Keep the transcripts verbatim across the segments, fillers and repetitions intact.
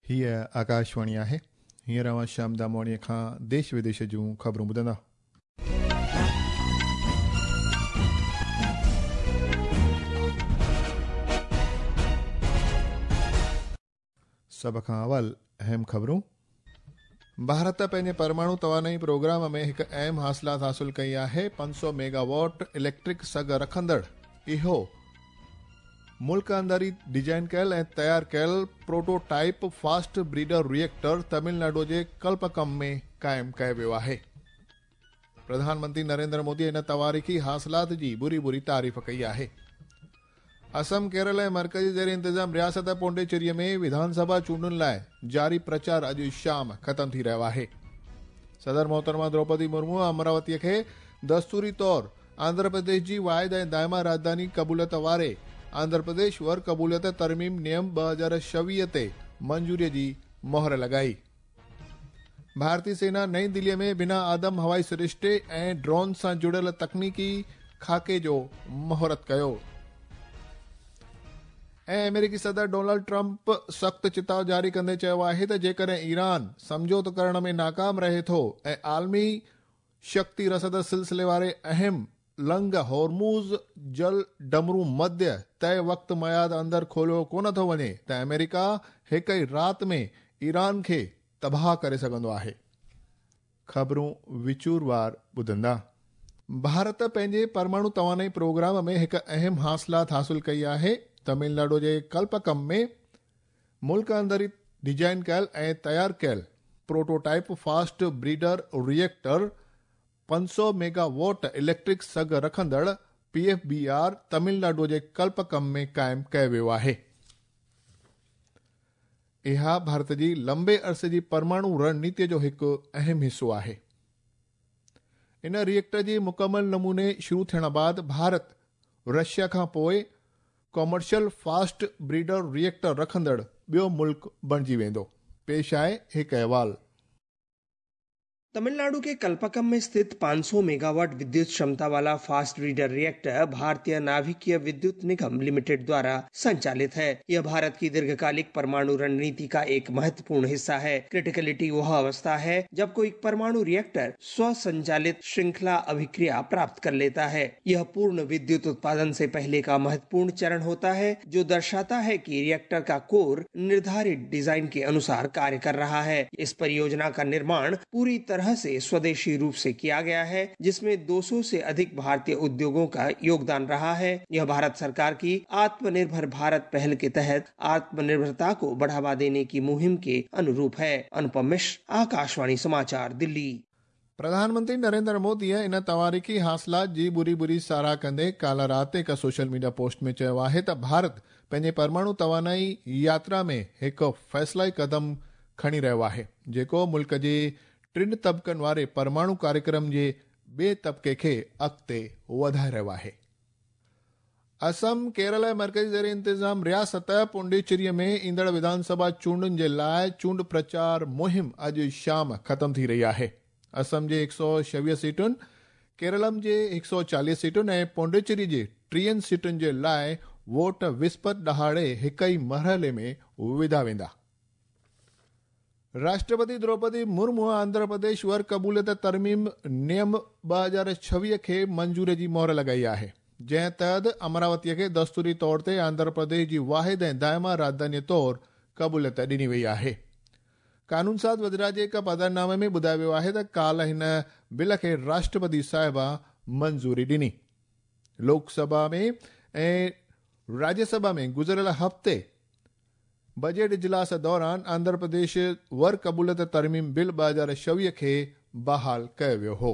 हीअ आकाशवाणी आहे। हींअर अव्हां श्याम दामवाणीअ खां देश विदेश जूं ख़बरूं ॿुधंदा। सभ खां अवल अहम ख़बरूं। भारत पंहिंजे परमाणु तवानाई प्रोग्राम में हिकु अहम हासिलात हासिल कई आहे। पंज सौ मेगावाट इलेक्ट्रिक सघ रखंदड़ इहो मुल्क अंदरि ई डिज़ाइन कयल ऐं तयारु कयल prototype fast breeder reactor Tamil Nadu जे कल्पकम में क़ाइमु कयो वियो आहे। प्रधानमंत्री नरेंद्र मोदी इन तवारीख़ी हासिलात जी बुरी बुरी तारीफ़ कई आहे। असम, केरल ऐं मर्कज़ी ज़ेर इंतज़ाम रियासत पौंडीचेरीअ में विधानसभा चूंडुनि लाइ जारी प्रचार अॼु शाम ख़तमु थी रहियो आहे। सदर मोहतरमा द्रौपदी मुर्मू अमरावतीअ खे दस्तूरी तौर आंध्र प्रदेश जी वाहिद ऐं दाइमा राजधानी क़बूलियत वारे आंध्र प्रदेश वर क़बूलियत तरमीम नियम ॿ हज़ार छवीह ते मंजूरीअ जी मोहर लॻाई। भारतीय सेना नई दिल्लीअ में बिना आदम हवाई सरिश्ते ऐं ड्रोन सां जुड़ियल तकनीकी खाके जो मुहूर्त कयो। ऐं अमेरिकी सदर डोनाल्ड ट्रंप सख़्तु चिताव जारी कंदे चयो आहे त जेकॾहिं ईरान सम्झौतो करण में नाकाम रहे थो ऐं आलमी शक्ति रसद सिलसिले वारे अहम लंग होर्मुज़ जल डमरू मध्य तय वक़्त मयाद अंदरि खोलियो कोन थो वञे त अमेरिका हिकु ई राति में ईरान खे तबाह करे सघंदो आहे। ख़बरूं विचूरवार ॿुधंदा। भारत पंहिंजे परमाणु तवानाई प्रोग्राम में हिकु अहम हासिलात हासिल कई आहे। तमिलनाडु जे कल्पकम में मुल्क अंदरि ई डिज़ाइन कयल ऐं तयारु कयल प्रोटोटाइप फास्ट ब्रीडर रिएक्टर पंज सौ मेगावाट इलेक्ट्रिक सघ रखंदड़ P F B R Tamil Nadu जे कल्पकम में क़ाइमु कयो वियो आहे। इहा भारत जी लंबे अरसे जी परमाणु रणनीति जो हिकु अहम हिसो आहे। इन रिएक्टर जी मुकमल नमूने शुरू थियण बाद भारत रशिया खां पोइ कॉमर्शियल फास्ट ब्रीडर रिएक्टर रखंदड़ ॿियो मुल्क बणिजी वेंदो। पेश आहे हिकु अहवाल। तमिलनाडु के कल्पकम में स्थित पाँच सौ मेगावाट विद्युत क्षमता वाला फास्ट ब्रीडर रिएक्टर भारतीय नाभिकीय विद्युत निगम लिमिटेड द्वारा संचालित है। यह भारत की दीर्घकालिक परमाणु रणनीति का एक महत्वपूर्ण हिस्सा है। क्रिटिकलिटी वह अवस्था है जब कोई परमाणु रिएक्टर स्वसंचालित श्रृंखला अभिक्रिया प्राप्त कर लेता है। यह पूर्ण विद्युत उत्पादन से पहले का महत्वपूर्ण चरण होता है, जो दर्शाता है कि रिएक्टर का कोर निर्धारित डिजाइन के अनुसार कार्य कर रहा है। इस परियोजना का निर्माण पूरी तरह से स्वदेशी रूप से किया गया है, जिसमें दो सौ से अधिक भारतीय उद्योगों का योगदान रहा है। यह भारत सरकार की आत्मनिर्भर भारत पहल के तहत आत्मनिर्भरता को बढ़ावा देने की मुहिम के अनुरूप है। अनुपम मिश्र, आकाशवाणी समाचार, दिल्ली। प्रधानमंत्री नरेंद्र मोदी इन तवारीख़ी हासिलात जी बुरी बुरी साराह कंदे काल्ह राति हिकु सोशल मीडिया पोस्ट में चयो आहे त भारत पंहिंजे परमाणु तवानाई यात्रा में हिकु फ़ैसिलाई कदम खणी रहियो आहे, जेको मुल्क जे टिनि तबकनि वारे परमाणु कार्यक्रम जे ॿिए तबके खे अॻिते वधाए रहियो आहे। असम, केरल ऐं मर्कज़ी ज़ेर इंतज़ाम रियासत पौंडीचेरीअ में ईंदड़ विधानसभा चूंडुनि जे लाइ चूंड प्रचार मुहिम अॼु शाम ख़तमु थी रही आहे। असम जे हिकु सौ छवीह सीटुनि, केरलम जे हिकु सौ चालीह सीटुनि ऐं पौंडीचेरी जे टीहनि सीटुनि जे लाइ वोट विस्पत ॾहाड़े हिकु ई मरहले में विधा वेंदा। राष्ट्रपति द्रौपदी मुर्मू आंध्र प्रदेश वर क़बूलियत तरमीम नियम ॿ हज़ार छवीह खे मंजूरी जी मोहर लॻाई आहे, जंहिं तहत अमरावतीअ खे दस्तूरी तौर ते आंध्र प्रदेश जी वाहिद ऐं दाइमा राजधानी तौर क़बूलियत ॾिनी वई आहे। कानून साज़ वज़ीरात जे हिकु पधरनामे में ॿुधायो वियो आहे त काल्ह हिन बिल खे राष्ट्रपति साहिबा मंजूरी ॾिनी। लोकसभा में ऐं राज्यसभा में गुज़िरियल हफ़्ते बजट इजलास दौरान आंध्र प्रदेश वर क़बूलियत तरमीम बिल ॿ हज़ार छवीह खे बहाल कयो वियो हो।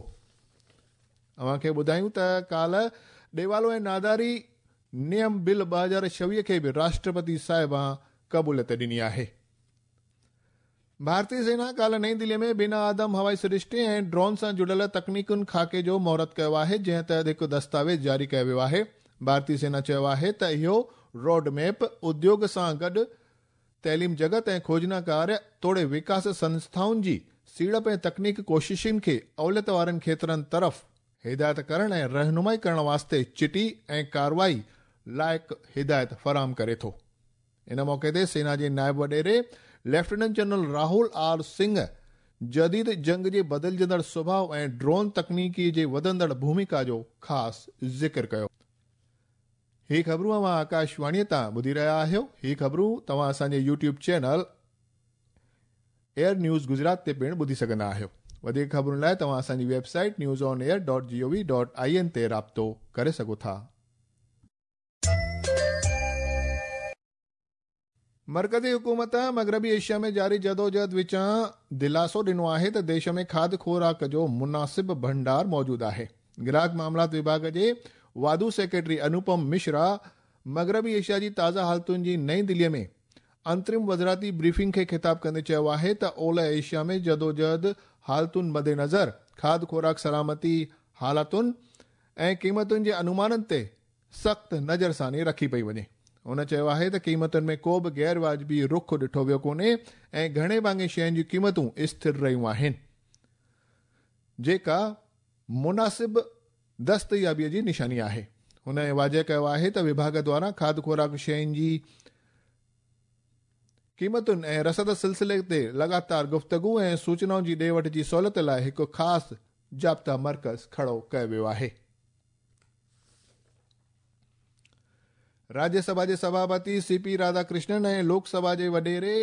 अव्हांखे ॿुधायूं त काल्ह ॾेवालो ऐं नादारी नियम बिल ॿ हज़ार छवीह खे बि राष्ट्रपति साहिबा क़बूलियत ॾिनी आहे। भारतीय सेना काल्ह नई दिल्लीअ में बिना आदम हवाई सरिश्ते ऐं ड्रोन सां जुड़ियल तकनीकुनि खाके जो मुहूर्त कयो आहे, जंहिं तहत हिकु दस्तावेज़ जारी कयो वियो आहे। भारतीय सेना चयो आहे त इहो रोड मैप उद्योग सां गॾु तइलीम जगत ऐं खोजना कार्य तोड़े विकास संस्थाउनि जी सीड़प ऐं तकनीक कोशिशुनि खे अवलियत वारनि खेतरनि तरफ़ हिदायत करण ऐं रहनुमाई करण वास्ते चिटी ऐं कार्रवाई लाइक़ हिदायत फराहम करे थो। इन मौक़े ते सेना जे नायब वॾेरे Lieutenant general Rahul R Singh जदीद जंग जे बदिलजंदड़ स्वभाव ऐं ड्रोन तकनीकी जे वधंदड़ भूमिका जो ख़ासि ज़िक्र कयो। ही ख़बरूं अव्हां आकाशवाणीअ तां ॿुधी रहिया आहियो। ही ख़बरूं तव्हां असांजे YouTube channel Air News Gujarat ते पिणु ॿुधी सघंदा आहियो। वधीक ख़बरुनि लाइ तव्हां असांजी website news on air dot G O V dot I N ते राब्तो करे सघो था। मरकज़ी हुकूमत मग़रबी एशिया में जारी जदोजहद विचां दिलासो ॾिनो आहे त देश में खाद खुराक जो मुनासिब भंडार मौजूद आहे। ग्राहक मामलात विभाग जे वाधू सेक्रेटरी अनुपम मिश्रा मग़रबी एशिया जी ताज़ा हालतुनि जी नई दिल्लीअ में अंतरिम वज़ारती ब्रीफिंग खे ख़िताब कंदे चयो आहे त ओलह एशिया में जदोजहद हालतुनि मदेनज़र खाद खुराक सलामती हालतुनि ऐं क़ीमतुनि जे अनुमाननि ते सख़्तु नज़रसानी रखी पई वञे। हुन चयो आहे त क़ीमतुनि में को बि गैर वाजिबी रुख ॾिठो वियो कोन्हे ऐं घणे भाङे शयुनि जूं क़ीमतूं स्थिर रहियूं आहिनि, जेका मुनासिब दस्तयाबीअ जी निशानी आहे। हुन वाज़ेह कयो आहे त विभाग द्वारा खाद खुराक शयुनि जी क़ीमतुनि ऐं रसद सिलसिले ते लगातार गुफ़्तगू ऐं सूचनाउनि जी ॾे वठ जी सहूलियत लाइ हिकु ख़ासि जाब्ता मर्कज़ खड़ो कयो वियो आहे। राज्यसभा जे सभापति सी पी राधाकृष्णन ऐं लोकसभा जे वॾेरे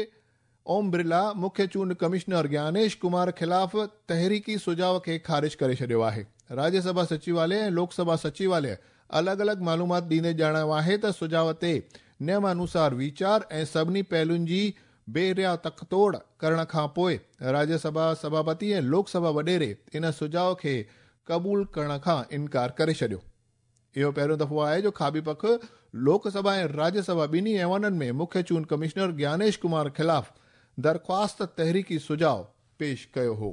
ओम बिरला मुख्य चूंड कमिश्नर ज्ञानेश कुमार ख़िलाफ़ तहरीकी सुझाव खे ख़ारिज करे छॾियो आहे। राज्यसभा सचिवालय ऐं लोकसभा सचिवालय अलॻि अलॻि मालूमात ॾींदे ॼाणायो आहे त सुझाव ते नियमानुसार वीचार ऐं सभिनी पहलुनि जी बेरिया तकतोड़ करण खां पोइ राज्यसभा सभापति ऐं लोकसभा वॾेरे इन सुझाव खे क़बूल करण खां इनकार करे छॾियो। इहो पहिरियों दफ़ो आहे जो खाबी पख लोकसभा ऐं राज्यसभा ॿिन्ही ऐवाननि में मुख्य चूंड कमिश्नर ज्ञानेश कुमार ख़िलाफ़ दरख़्वास्त तहरीकी सुझाव पेश कयो हो।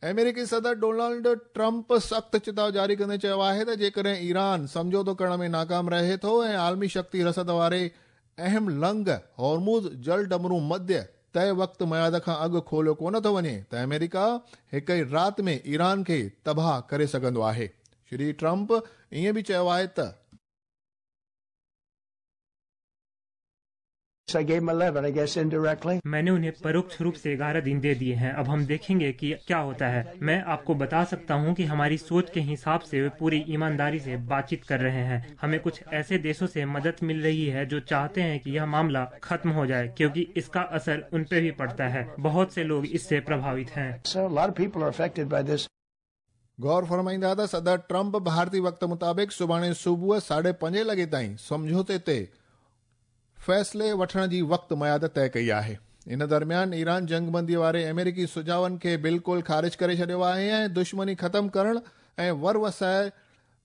अमेरिकी सदर डोनाल्ड ट्रंप सख़्तु चिताव जारी कंदे चयो आहे त जेकॾहिं ईरान सम्झौतो करण में नाकाम रहे थो ऐं आलमी शक्ति रसद वारे अहम लंग हॉर्मुज़ जल डमरू मध्य तय वक़्तु मयाद खां अॻु खोलियो कोन थो वञे त अमेरिका हिक ई राति में ईरान खे तबाह करे सघंदो आहे। श्री ट्रंप ईअं बि चयो आहे त I gave them eleven, I guess indirectly. मैंने उन्हें परोक्ष रूप से ग्यारह दिन दे दिए हैं। अब हम देखेंगे कि क्या होता है। मैं आपको बता सकता हूं कि हमारी सोच के हिसाब से वे पूरी ईमानदारी से बातचीत कर रहे हैं। हमें कुछ ऐसे देशों से मदद मिल रही है जो चाहते हैं कि यह मामला खत्म हो जाए, क्योंकि इसका असर उन पे भी पड़ता है। बहुत से लोग इससे प्रभावित हैं। So a lot of people are affected by this. गौर फरमाईंदा त सदर ट्रंप भारतीय वक़्त मुताबिक़ सुभाणे सुबुह साढे पंजे लॻे ताईं सम्झौते ते फ़ैसिले वठण जी वक़्तु मयाद तय कई आहे। इन दरमियान ईरान जंगबंदी वारे अमेरिकी सुझावनि खे बिल्कुलु ख़ारिज करे छॾियो आहे ऐं दुश्मनी ख़तमु करण ऐं वर वसाए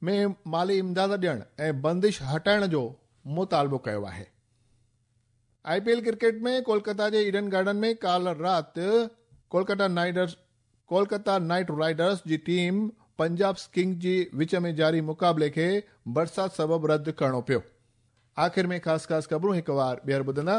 में माली इमदाद ॾियण ऐं बंदिश हटाइण जो मुतालबो कयो आहे। I P L cricket में कोलकाता जे ईडन गार्डन में काल राति Kolkata Knight Kolkata Knight Riders जी टीम पंजाब किंग्स जी विच में जारी मुक़ाबले खे बरसाति सबबु रद्द करिणो पियो। आख़िर में ख़ासि ख़ासि ख़बरूं हिकु वार ॿीहर ॿुधंदा।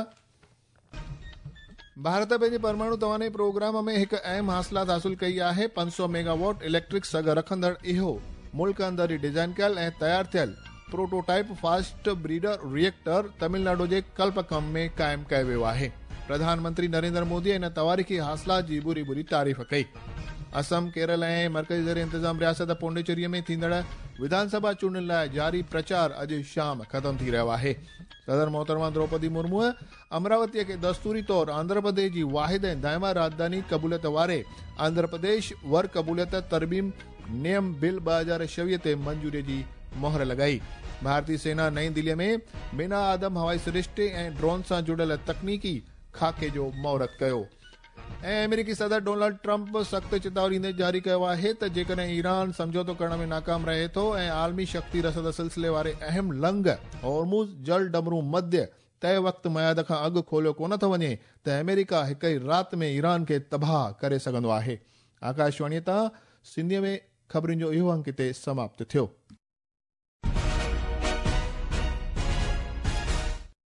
भारत पंहिंजे परमाणु तवानाई प्रोग्राम में हिकु अहम हासिलात हासिल कई आहे। पंज सौ मेगावाट इलेक्ट्रिक सघ रखंदड़ इहो मुल्क अंदरि ई डिज़ाइन कयल ऐं तयारु थियल prototype fast breeder reactor Tamil Nadu जे कल्पकम में क़ाइमु कयो वियो आहे। प्रधानमंत्री नरेंद्र मोदी इन तवारीख़ी हासिलात जी बुरी बुरी तारीफ़ कई। असम, केरल ऐं मर्कज़ी ज़ेर इंतज़ाम रियासत पौंडीचेरीअ में थींदड़ विधानसभा चूंडुनि लाइ जारी प्रचार अॼु शाम ख़तमु थी रहियो आहे। सदर मोहतरमा द्रौपदी मुर्मूअ अमरावतीअ खे दस्तूरी तौर आंध्र प्रदेश जी वाहिद ऐं दाइमा राजधानी क़बूलियत वारे आंध्र प्रदेश वर क़बूलियत तरमीम नियम बिल ॿ हज़ार छवीह ते मंजूरीअ जी मोहर लॻाई। भारतीय सेना नई दिल्लीअ में बिना आदम हवाई सृष्टि ऐं ड्रोन सां जुड़ियल तकनीकी खाके जो मुहूर्त कयो। ऐं अमेरिकी सदर डोनाल्ड ट्रंप सख़्तु चिताव ॾींदे जारी कयो आहे त जेकॾहिं ईरान सम्झौतो करण में नाकाम रहे थो ऐं आलमी शक्ति रसद सिलसिले वारे अहम लंग हॉर्मुज़ जल डमरू मध्य तय वक़्तु मयाद खां अॻु खोलियो कोन थो वञे त अमेरिका हिक ई राति में ईरान खे तबाह करे सघंदो आहे। आकाशवाणीअ तां सिंधीअ में ख़बरुनि जो इहो अंक हिते समाप्त थियो।